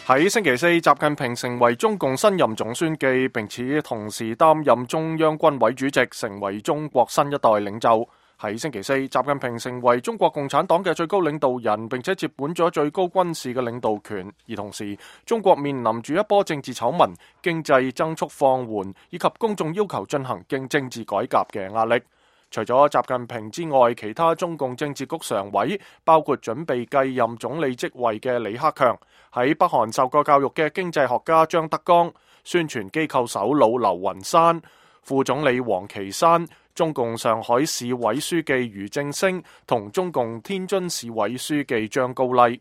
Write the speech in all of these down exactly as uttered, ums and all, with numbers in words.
喺星期四，習近平成為中共新任總書記，並且同時擔任中央軍委主席，成為中國新一代領袖。喺星期四，習近平成為中國共產黨嘅最高領導人，並且接管咗最高軍事嘅領導權。而同時，中國面臨住一波政治醜聞、經濟增速放緩以及公眾要求進行經政治改革嘅壓力。除咗習近平之外，其他中共政治局常委，包括準備繼任總理職位嘅李克強，喺北韓受過教育嘅經濟學家張德江，宣傳機構首腦劉雲山，副總理王岐山，中共上海市委書記俞正聲同中共天津市委書記張高麗。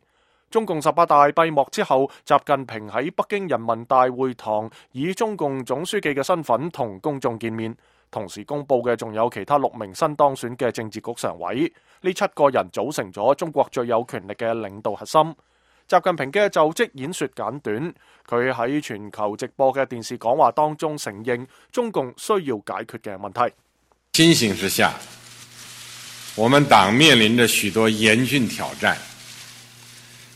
中共十八大閉幕之後，習近平喺北京人民大會堂以中共總書記嘅身份同公眾見面。同時公布嘅仲有其他六名新當選嘅政治局常委，呢七個人組成咗中國最有權力嘅領導核心。習近平嘅就職演說簡短，佢喺全球直播嘅電視講話當中承認中共需要解決嘅問題。新形勢下，我們黨面臨着許多嚴峻挑戰，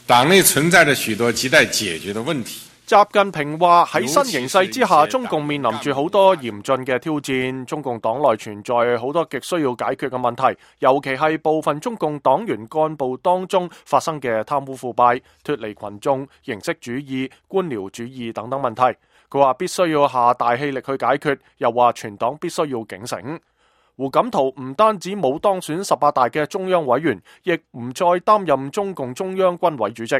黨內存在着許多亟待解決的問題。習近平話喺新形勢之下，中共面臨住好多嚴峻嘅挑戰，中共黨內存在好多極需要解決嘅問題，尤其係部分中共黨員幹部當中發生嘅貪污腐敗、脫離群眾、形式主義、官僚主義等等問題。佢話必須要下大氣力去解決，又話全黨必須要警醒。胡錦濤唔單止冇當選十八大嘅中央委員，亦唔再擔任中共中央軍委主席。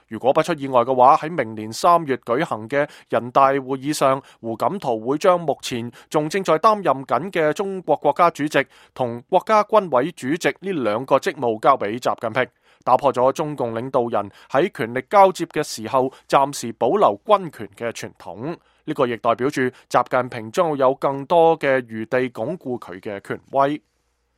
如果不出意外嘅話，喺明年三月舉行嘅人大會議上，胡錦濤會將目前仲正在擔任緊嘅中國國家主席同國家軍委主席呢兩個職務交俾習近平，打破咗中共領導人喺權力交接嘅時候暫時保留軍權嘅傳統。呢個亦代表住習近平將會有更多嘅餘地鞏固佢嘅權威。